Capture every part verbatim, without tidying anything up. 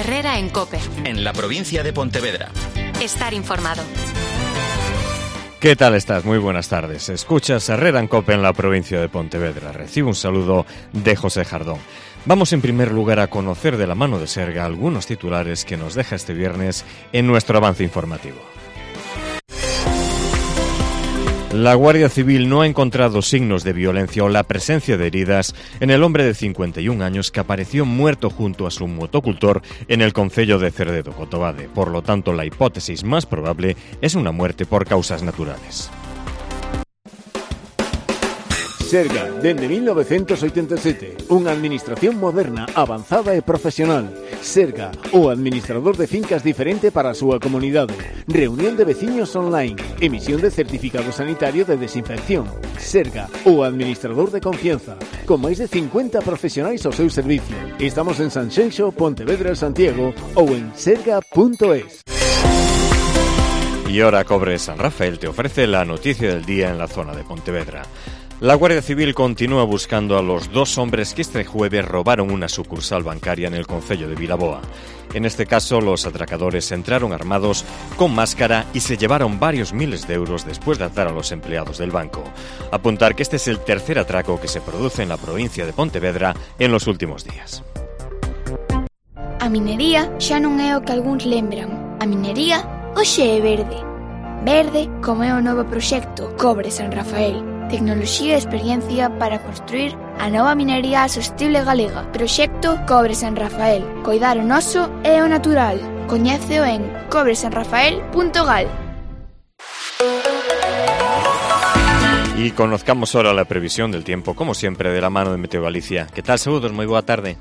Herrera en COPE. En la provincia de Pontevedra. Estar informado. ¿Qué tal estás? Muy buenas tardes. Escuchas Herrera en COPE en la provincia de Pontevedra. Recibo un saludo de José Jardón. Vamos en primer lugar a conocer de la mano de Serga algunos titulares que nos deja este viernes en nuestro avance informativo. La Guardia Civil no ha encontrado signos de violencia o la presencia de heridas en el hombre de cincuenta y un años que apareció muerto junto a su motocultor en el concello de Cerdedo, Cotobade. Por lo tanto, la hipótesis más probable es una muerte por causas naturales. Serga, dende mil novecentos oitenta e sete, unha administración moderna, avanzada e profesional. Serga, o administrador de fincas diferente para a súa comunidade. Reunión de veciños online, emisión de certificado sanitario de desinfección. Serga, o administrador de confianza, con máis de cincuenta profesionais ao seu servicio. Estamos en Sanxenxo, Pontevedra, Santiago ou en serga punto es. Y ahora Cobre San Rafael te ofrece la noticia del día en la zona de Pontevedra. La Guardia Civil continúa buscando a los dos hombres que este jueves robaron una sucursal bancaria en el concello de Vilaboa. En este caso, los atracadores entraron armados con máscara y se llevaron varios miles de euros después de atar a los empleados del banco. Apuntar que este es el tercer atraco que se produce en la provincia de Pontevedra en los últimos días. A minería xa non é o que algúns lembran. A minería hoxe é verde. Verde como é o novo proxecto Cobre San Rafael. Tecnoloxía e experiencia para construir a nova minería sostible galega. Proxecto Cobre San Rafael. Coidar o noso e o natural. Coñéceo en cobre san rafael punto gal. Y conozcamos ahora la previsión del tiempo, como siempre, de la mano de Meteo Galicia. ¿Qué tal? Saúdos, moi boa tarde.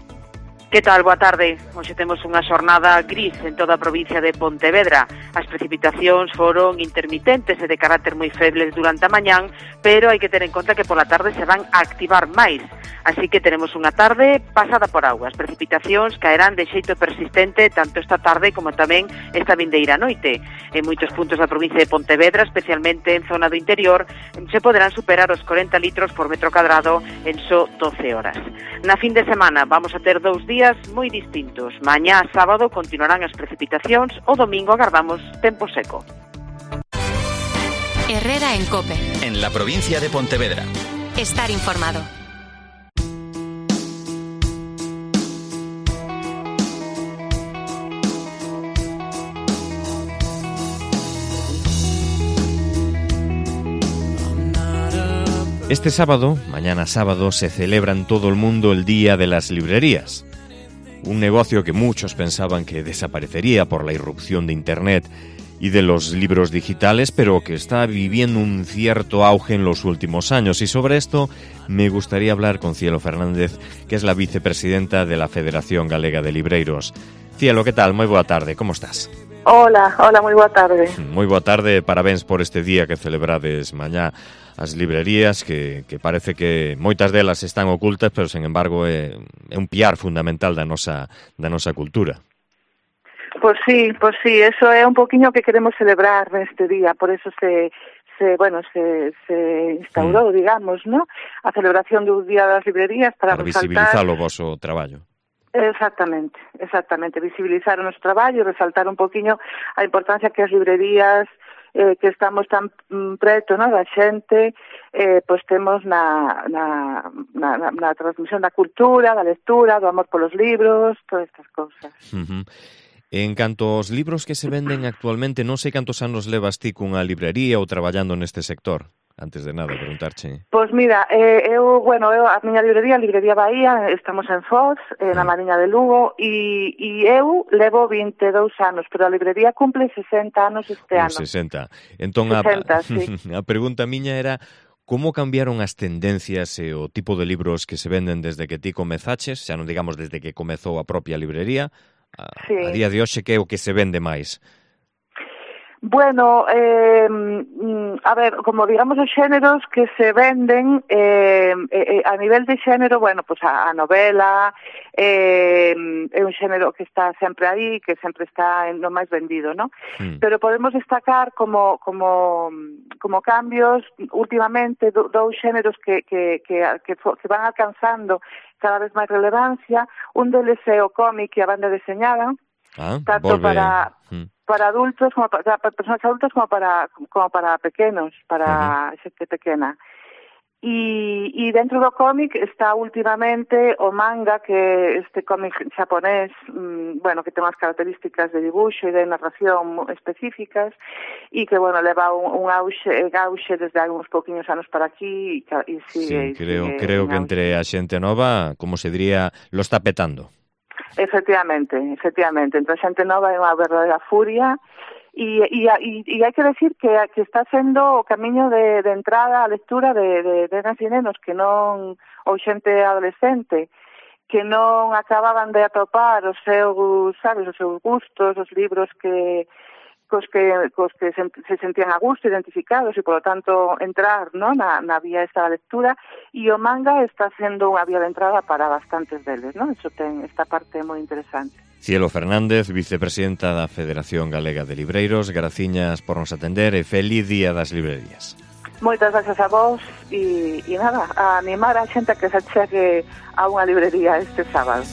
Que tal? Boa tarde. Hoxe temos unha xornada gris en toda a provincia de Pontevedra. As precipitacións foron intermitentes e de carácter moi febles durante a mañán, pero hai que ter en conta que pola tarde se van a activar máis. Así que tenemos unha tarde pasada por auga. As precipitacións caerán de xeito persistente tanto esta tarde como tamén esta vindeira noite. En moitos puntos da provincia de Pontevedra, especialmente en zona do interior, se poderán superar os corenta litros por metro cadrado en só doce horas. Na fin de semana vamos a ter dous días moi distintos. Mañá sábado continuarán as precipitacións, o domingo agardamos tempo seco. Herrera en COPE. En la provincia de Pontevedra. Estar informado. Este sábado, mañana sábado, se celebra en todo el mundo el Día de las Librerías. Un negocio que muchos pensaban que desaparecería por la irrupción de Internet y de los libros digitales, pero que está viviendo un cierto auge en los últimos años. Y sobre esto me gustaría hablar con Cielo Fernández, que es la vicepresidenta de la Federación Galega de Libreiros. Cielo, ¿qué tal? Moi boa tarde, como estás? Hola, hola, moi boa tarde. Moi boa tarde, parabéns por este día que celebrades mañá as librerías, que, que parece que moitas delas están ocultas, pero, sen embargo, é, é un piar fundamental da nosa, da nosa cultura. Pois sí, pois sí, eso é un poquinho que queremos celebrar neste día, por eso se, se bueno, se, se instaurou, mm. digamos, ¿no? A celebración do Día das Librerías para, para resaltar... visibilizar o voso traballo. Exactamente, exactamente, visibilizar o noso traballo e resaltar un poquinho a importancia que as librerías eh, que estamos tan mm, preto, ¿no?, da xente, eh, pois temos na, na, na, na, na transmisión da cultura, da lectura, do amor polos libros, todas estas cousas. Uh-huh. En canto aos libros que se venden actualmente, non sei cantos anos levas ti cunha librería ou traballando neste sector. Antes de nada, preguntarche. Pois mira, eh, eu, bueno, eu, a miña librería, a Librería Bahía, estamos en Foz, eh, na Mariña de Lugo, e, e eu levo vinte e dous anos, pero a librería cumple sesenta anos este ano. sesenta. Entón, sesenta, a, sí. a pregunta miña era, como cambiaron as tendencias e o tipo de libros que se venden desde que ti comezaches, xa non digamos desde que comezou a propia librería, a, sí. a día de hoxe, que é o que se vende máis? Bueno, eh, a ver, como digamos os xéneros que se venden eh, eh, a nivel de xénero, bueno, pues a, a novela eh, é un xénero que está sempre aí, que sempre está en lo máis vendido, ¿no? Mm. Pero podemos destacar como como como cambios últimamente do, dous xéneros que, que, que, que, que van alcanzando cada vez máis relevancia. Un deles é o cómic e a banda deseñada, Ah, tanto volve... para Mm. para adultos como para, para personas adultas como para como para pequenos, para uh-huh. xente pequena. E, e dentro do cómic está últimamente o manga, que este cómic xaponés, mmm, bueno, que ten unhas características de dibuixo e de narración específicas e que, bueno, leva un, un auxe, auxe desde algúns pouquiños anos para aquí e, e sigue... Sí, creo, sigue creo que entre a xente nova, como se diría, lo está petando. Efectivamente, efectivamente. Entre a xente nova é unha verdadeira furia. E, e, e, e hai que decir que, que está sendo o camiño de, de entrada á lectura de, de, de nenas e nenos que non, ou xente adolescente, que non acababan de atopar os seus, sabes, os seus gustos, os libros que cos que, cos que se, se sentían a gusto, identificados, e, polo tanto, entrar, ¿no?, na, na vía esta da lectura, e o manga está sendo unha vía de entrada para bastantes deles, ¿no? Eso ten esta parte moi interesante. Cielo Fernández, vicepresidenta da Federación Galega de Libreiros, graciñas por nos atender e feliz día das librerías. Moitas gracias a vos e, e nada, a animar a xente a que se chegue a unha librería este sábado.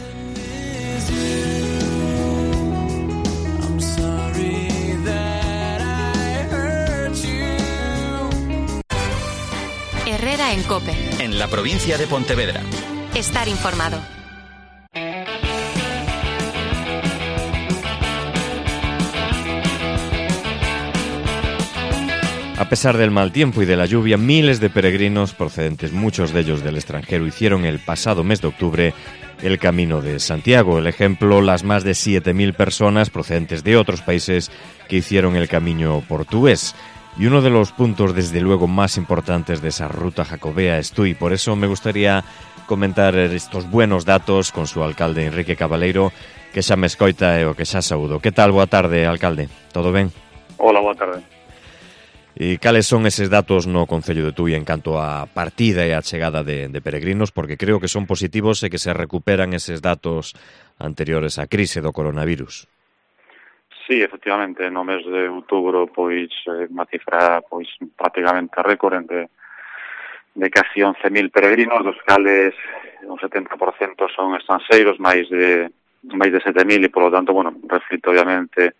Herrera en COPE. En la provincia de Pontevedra. Estar informado. A pesar del mal tiempo y de la lluvia, miles de peregrinos procedentes, muchos de ellos del extranjero, hicieron el pasado mes de octubre el Camino de Santiago. El ejemplo, las más de siete mil personas procedentes de otros países que hicieron el Camino portugués. Y uno de los puntos, desde luego, más importantes de esa ruta jacobea es Tui. Por eso me gustaría comentar estos buenos datos con su alcalde, Enrique Cabaleiro, que xa me escoita e o que xa saúdo. Que tal? Boa tarde, alcalde. Todo ben? Hola, boa tarde. E cales son eses datos no Concello de Tui en canto a partida e a chegada de, de peregrinos? Porque creo que son positivos e que se recuperan eses datos anteriores á crise do coronavirus. Sí, efectivamente, no mes de outubro pois unha cifra pois prácticamente récord de, de casi once mil peregrinos, dos cales un setenta por cento son estranxeiros, máis de máis de sete mil, e polo tanto, bueno, reflite obviamente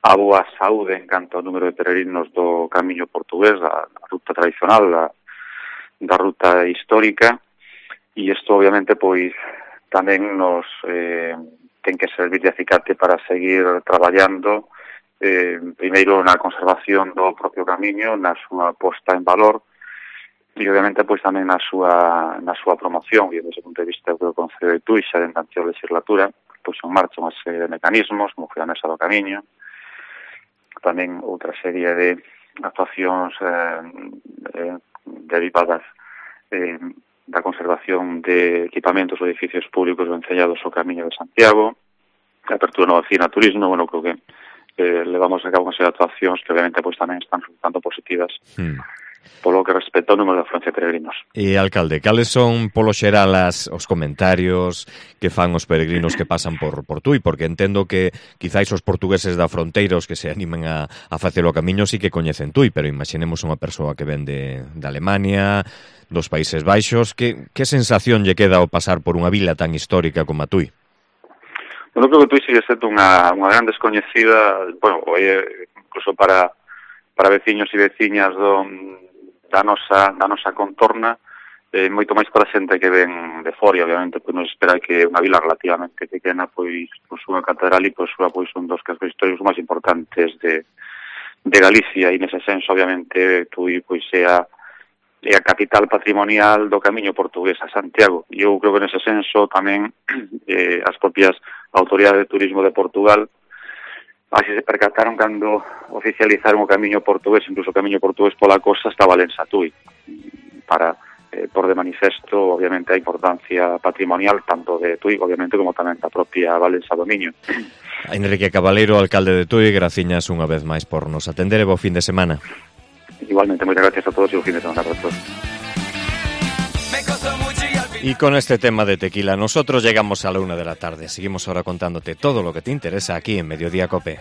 a boa saúde en canto ao número de peregrinos do Camiño portugués, da, da ruta tradicional, da, da ruta histórica, e isto obviamente pois tamén nos eh, ten que servir de acicate para seguir traballando eh, primeiro na conservación do propio camiño, na súa posta en valor, e obviamente pois tamén na súa na súa promoción, e desde o punto de vista do Concello de Tui xa dentro da anterior legislatura pois en marcha unha serie de mecanismos, como foi a Mesa do Camiño, tamén outra serie de actuacións eh, eh, derivadas eh, da conservación de equipamentos ou edificios públicos vencellados ao Camiño de Santiago, a apertura nova oficina de turismo. Bueno, creo que eh, levamos a cabo unha serie de actuacións que obviamente pois tamén están resultando positivas hmm. polo que respecta ao número de afluencia de peregrinos. E, alcalde, cales son polo xeral as, os comentarios que fan os peregrinos que pasan por, por Tui? Porque entendo que quizáis os portugueses da fronteira, os que se animen a, a facer o camiño, sí que coñecen Tui, pero imaginemos unha persoa que ven de, de Alemania, dos Países Baixos. Que, que sensación lle queda ao pasar por unha vila tan histórica como a Tui? Bueno, creo que Tui sigue sendo unha, unha gran descoñecida, bueno, incluso para, para veciños e veciñas do da nosa, da nosa contorna, eh, moito máis para a xente que ven de fora, obviamente, pois nos espera que unha vila relativamente pequena, pois, pois unha catedral e pois, pois un dos cascos históricos máis importantes de, de Galicia, e nese senso, obviamente, Tui pois é a, é a capital patrimonial do Camiño portugués a Santiago. E eu creo que nese senso tamén eh, as propias autoridades de turismo de Portugal así se percataron cando oficializaron o Camiño portugués, incluso o Camiño portugués pola costa estaba Lensa Tui, para eh, por de manifesto, obviamente, a importancia patrimonial tanto de Tui, obviamente, como tamén da propia Valença do Miño. Enrique Cabaleiro, alcalde de Tui, graciñas unha vez máis por nos atender e bo fin de semana. Igualmente, moitas gracias a todos e bo fin de semana para todos. Y con este tema de tequila, nosotros llegamos a la una de la tarde. Seguimos ahora contándote todo lo que te interesa aquí en Mediodía COPE.